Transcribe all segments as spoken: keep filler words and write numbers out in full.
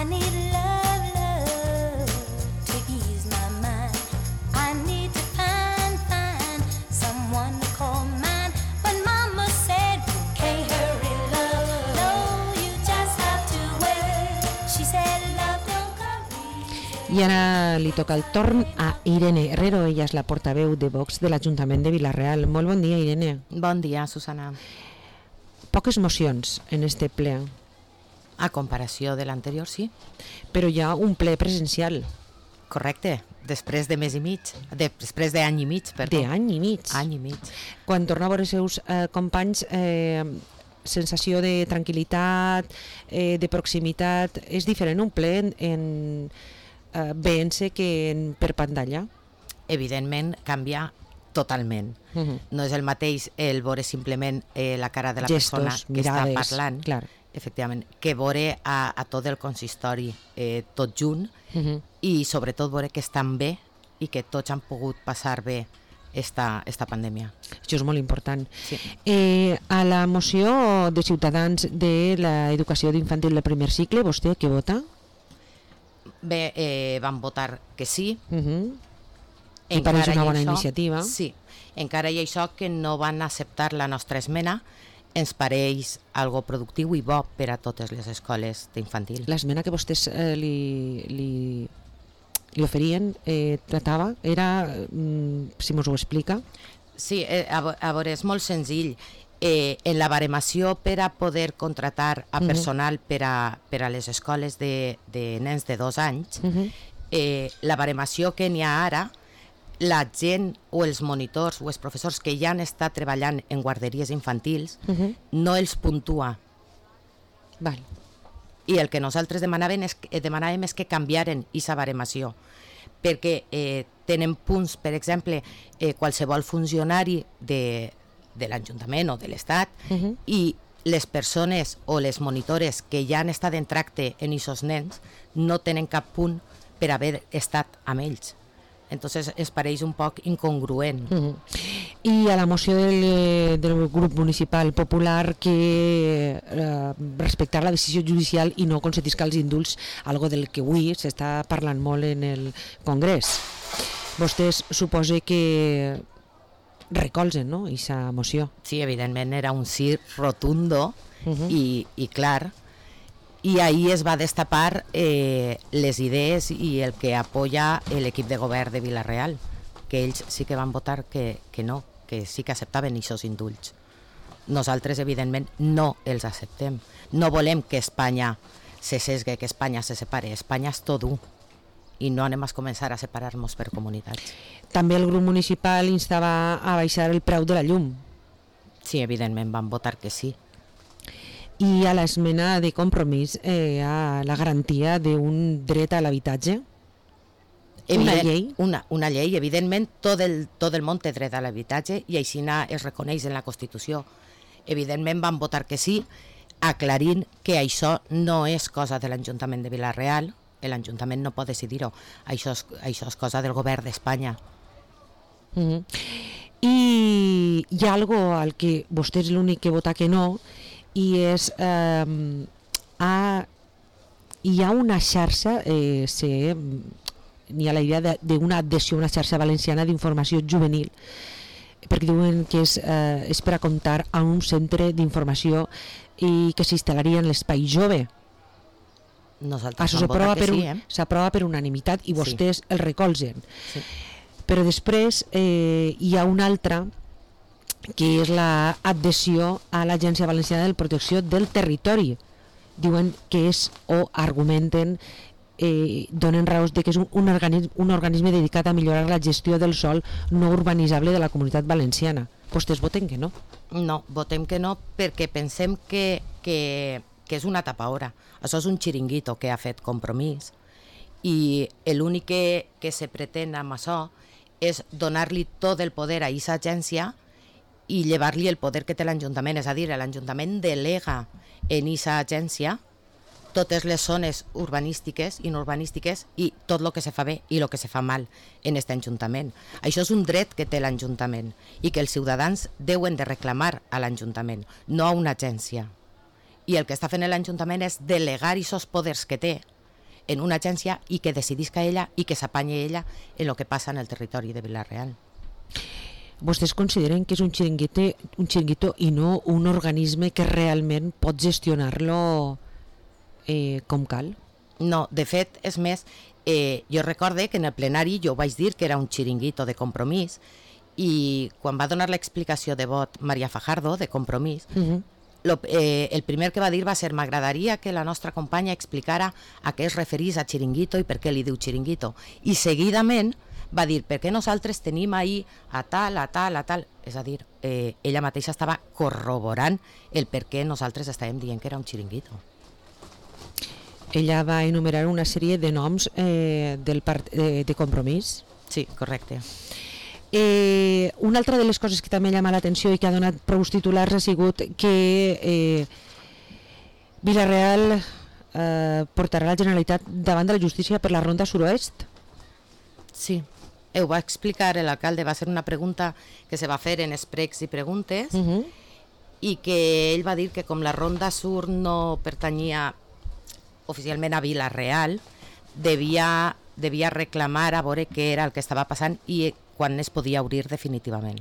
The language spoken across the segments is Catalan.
I need love, love to ease my mind. I need to find, find someone to call mine. But Mama said you can't hurry love. No, you just have to wait. She said love don't come easy. I ara li toca el torn a Irene Herrero. Ella és la portaveu de Vox de l'Ajuntament de Vila-real. Molt bon dia, Irene. Bon dia, Susana. Poques mocions en este ple, A comparació de l'anterior, sí. però hi ha un ple presencial Correcte. Després de mes i mig. De, després d'any i mig, perdó. d'any i mig. Any i mig. Quan torna a veure els seus eh, companys, eh, sensació de tranquil·litat, eh, de proximitat, és diferent un ple en, en eh, veient-se que en, per pantalla? Evidentment, canvia totalment. Uh -huh. No és el mateix el veure simplement eh, la cara de la Gestos, persona que mirades, està parlant, clar. efectivament, que veure a, a tot el consistori eh, tot junt, Uh -huh. i sobretot veure que estan bé i que tots han pogut passar bé esta, esta pandèmia. Això és molt important. Sí. Eh, a la moció de Ciutadans de l'educació d'infantil del primer cicle, vostè què vota? Bé, eh, van votar que sí. Uh -huh. I pareix una bona això, iniciativa. Sí, encara hi ha això que no van acceptar la nostra esmena, ens pareix algo productiu i bo per a totes les escoles d'infantil. L'esmena que vostès eh, li, li, li oferien eh, tratava, era, mm, si mos ho explica. Sí, eh, a, vo- a veure, és molt senzill. Eh, en la baremació per a poder contratar a Mhm. personal per a, per a les escoles de, de nens de dos anys, Uh -huh. eh, la baremació que n'hi ha ara, la gent o els monitors o els professors que ja han estat treballant en guarderies infantils Uh -huh. no els puntua. Val. I el que nosaltres demanàvem és, eh, demanàvem és que canviaren aquesta baremació, perquè eh, tenen punts, per exemple, eh, qualsevol funcionari de, de l'Ajuntament o de l'Estat, Uh -huh. i les persones o les monitores que ja han estat en tracte en aquests nens no tenen cap punt per haver estat amb ells. Entonces es pareix un poc incongruent. Uh -huh. I a la moció del, eh, del grup municipal popular que eh, respectar la decisió judicial i no concetiscar els indults, algo del que avui s'està parlant molt en el Congrés. Vostès suposa que recolzen, no?, aquesta moció. Sí, evidentment era un sí rotundo Uh -huh. i, i clar, i ahí es va destapar eh, les idees i el que apoya l'equip de govern de Vila-real, que ells sí que van votar que, que no, que sí que acceptaven aquests indults. Nosaltres, evidentment, no els acceptem. No volem que Espanya se sesgue, que Espanya se separe. Espanya és tot u i no anem a començar a separar-nos per comunitats. També el grup municipal instava a baixar el preu de la llum. Sí, evidentment, van votar que sí. I a l'esmena de compromís eh, a la garantia d'un dret a l'habitatge. Una Evident- llei. Una, una llei, evidentment, tot el, tot el món té dret a l'habitatge i així es reconeix en la Constitució. Evidentment van votar que sí, aclarint que això no és cosa de l'Ajuntament de Vila-real, l'Ajuntament no pot decidir-ho, això és, això és cosa del govern d'Espanya. Uh -huh. I hi ha algo al que vostè és l'únic que vota que no, i és eh, a, hi ha una xarxa eh, se, n'hi ha la idea d'una adhesió a una xarxa valenciana d'informació juvenil, perquè diuen que és, eh, és per a comptar a un centre d'informació i que s'instal·laria en l'espai jove. Nosaltres Això vam votar s'aprova que per, sí, un, eh? s'aprova per unanimitat i vostès Sí. el recolzen. Sí. Però després eh, hi ha una altra que és l'adhesió a l'Agència Valenciana de Protecció del Territori. Diuen que és, o argumenten, eh, donen raons de que és un, un, organisme, un organisme dedicat a millorar la gestió del sòl no urbanitzable de la Comunitat Valenciana. Vostès voten que no. No, votem que no perquè pensem que, que, que és una tapaora. Això és un xiringuito que ha fet Compromís i l'únic que, que se pretén amb això és donar-li tot el poder a aquesta agència i llevar-li el poder que té l'Ajuntament. És a dir, l'Ajuntament delega en aquesta agència totes les zones urbanístiques i no urbanístiques i tot el que se fa bé i el que se fa mal en aquest Ajuntament. Això és un dret que té l'Ajuntament i que els ciutadans deuen de reclamar a l'Ajuntament, no a una agència. I el que està fent l'Ajuntament és delegar aquests poders que té en una agència i que decidisca ella i que s'apanye ella en el que passa en el territori de Vila-real. Vostès consideren que és un xiringuito, un xiringuito i no un organisme que realment pot gestionar-lo eh, com cal? No, de fet, és més, eh, jo recorde que en el plenari jo vaig dir que era un xiringuito de Compromís i quan va donar l'explicació de vot Maria Fajardo, de Compromís, uh-huh. lo, eh, el primer que va dir va ser m'agradaria que la nostra companya explicara a què es referís a xiringuito i per què li diu xiringuito. I seguidament va dir perquè nosaltres tenim ahir a tal, a tal, a tal. És a dir, eh, ella mateixa estava corroborant el per què nosaltres estàvem dient que era un xiringuito. Ella va enumerar una sèrie de noms eh, del part de, de Compromís. Sí, correcte. Eh, una altra de les coses que també llama l'atenció i que ha donat prou titulars ha sigut que eh, Vila-real eh, portarà la Generalitat davant de la justícia per la ronda suroest. Sí, ho va explicar l'alcalde, va ser una pregunta que se va fer en Expregs i Preguntes uh-huh. i que ell va dir que com la ronda sur no pertanyia oficialment a Vila-real, devia, devia reclamar a veure què era el que estava passant i quan es podia obrir definitivament.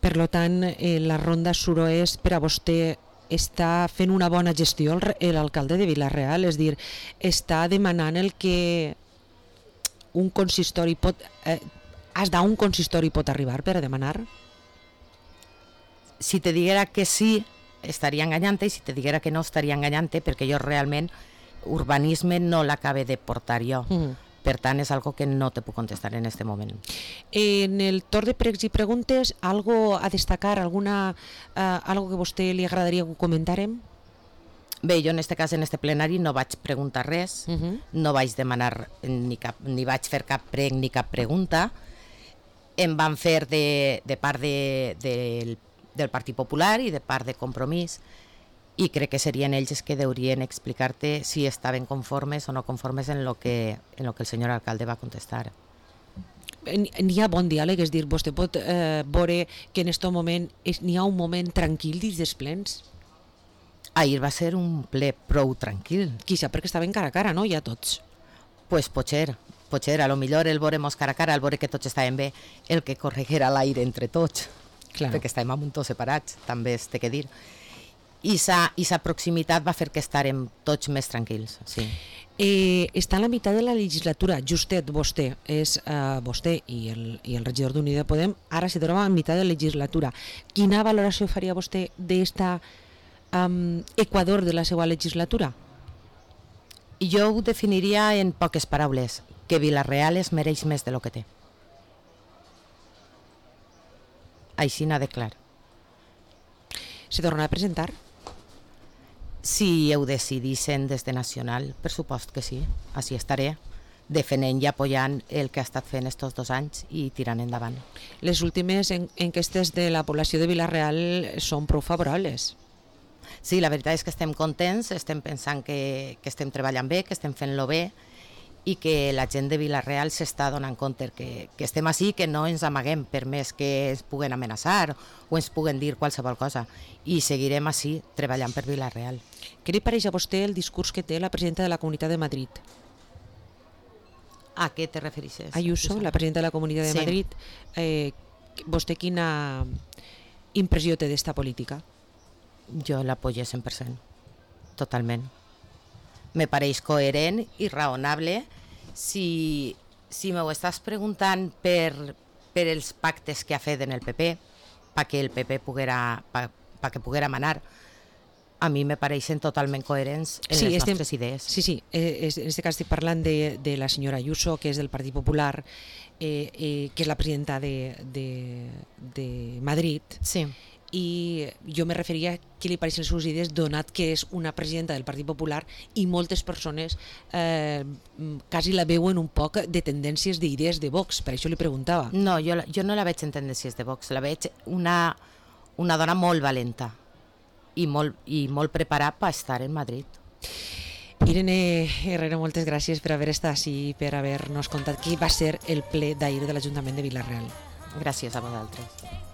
Per lo tant, eh, la ronda suroest per a vostè està fent una bona gestió l'alcalde de Vila-real, és dir, està demanant el que un consistori pot... Eh, has d'un consistori pot arribar per a demanar? Si te diguera que sí, estaria enganyant i si te diguera que no, estaria enganyant perquè jo realment urbanisme no l'acabe de portar jo. Mm. Per tant, és algo que no te puc contestar en este moment. En el torn de pregs i preguntes, algo a destacar, alguna, eh, algo que a vostè li agradaria que ho comentàrem? Bé, jo en este cas, en este plenari, no vaig preguntar res, uh-huh. no vaig demanar ni, cap, ni vaig fer cap prec ni cap pregunta. Em van fer de, de part de, de, del Partit Popular i de part de Compromís i crec que serien ells els que deurien explicar-te si estaven conformes o no conformes en lo que, en lo que el senyor alcalde va contestar. N'hi ha bon diàleg, és dir, vostè pot eh, veure que en aquest moment n'hi ha un moment tranquil dins dels plens? Ahir va ser un ple prou tranquil. Quizà perquè estaven cara a cara, no? Ja tots. Pues potser, potser, a lo millor el veuremos cara a cara, el veure que tots estaven bé, el que correguera l'aire entre tots, claro. Perquè estàvem a muntó separats, també es té que dir. I sa proximitat va fer que estarem tots més tranquils, sí. Eh, està a la meitat de la legislatura, justet vostè, és eh, vostè i el, i el regidor d'Unió de Podem, ara se troba a meitat de la legislatura. Quina valoració faria vostè d'esta um, Equador de la seva legislatura? Jo ho definiria en poques paraules, que Vila-real es mereix més de lo que té. Així n'ha de clar. Se tornarà a presentar? Si ho decidissin des de Nacional, per supost que sí, així estaré, defendent i apoyant el que ha estat fent estos dos anys i tirant endavant. Les últimes en enquestes de la població de Vila-real són prou favorables. Sí, la veritat és que estem contents, estem pensant que, que estem treballant bé, que estem fent-lo bé i que la gent de Vila-real s'està donant compte que, que estem així, que no ens amaguem per més que ens puguen amenaçar o ens puguen dir qualsevol cosa i seguirem així treballant per Vila-real. Què li pareix a vostè el discurs que té la presidenta de la Comunitat de Madrid? A què te refereixes? Ayuso, la presidenta de la Comunitat de sí. Madrid. Eh, vostè quina impressió té d'esta política? Jo l'apoyo cent per cent, totalment. Me pareix coherent i raonable. Si, si m'ho estàs preguntant per, per els pactes que ha fet en el P P, perquè el P P poguera, pa, pa que poguera manar, a mi me pareixen totalment coherents en sí, les estem, nostres idees. Sí, sí, eh, en aquest cas estic parlant de, de la senyora Ayuso, que és del Partit Popular, eh, eh, que és la presidenta de, de, de Madrid. Sí. I jo me referia a què li pareixen les seves idees, donat que és una presidenta del Partit Popular i moltes persones eh, quasi la veuen un poc de tendències d'idees de Vox, per això li preguntava. No, jo, jo no la veig en tendències de Vox, la veig una, una dona molt valenta i molt, i molt preparada per estar en Madrid. Irene Herrero, moltes gràcies per haver estat així i per haver-nos contat qui va ser el ple d'ahir de l'Ajuntament de Vila-real. Gràcies a vosaltres.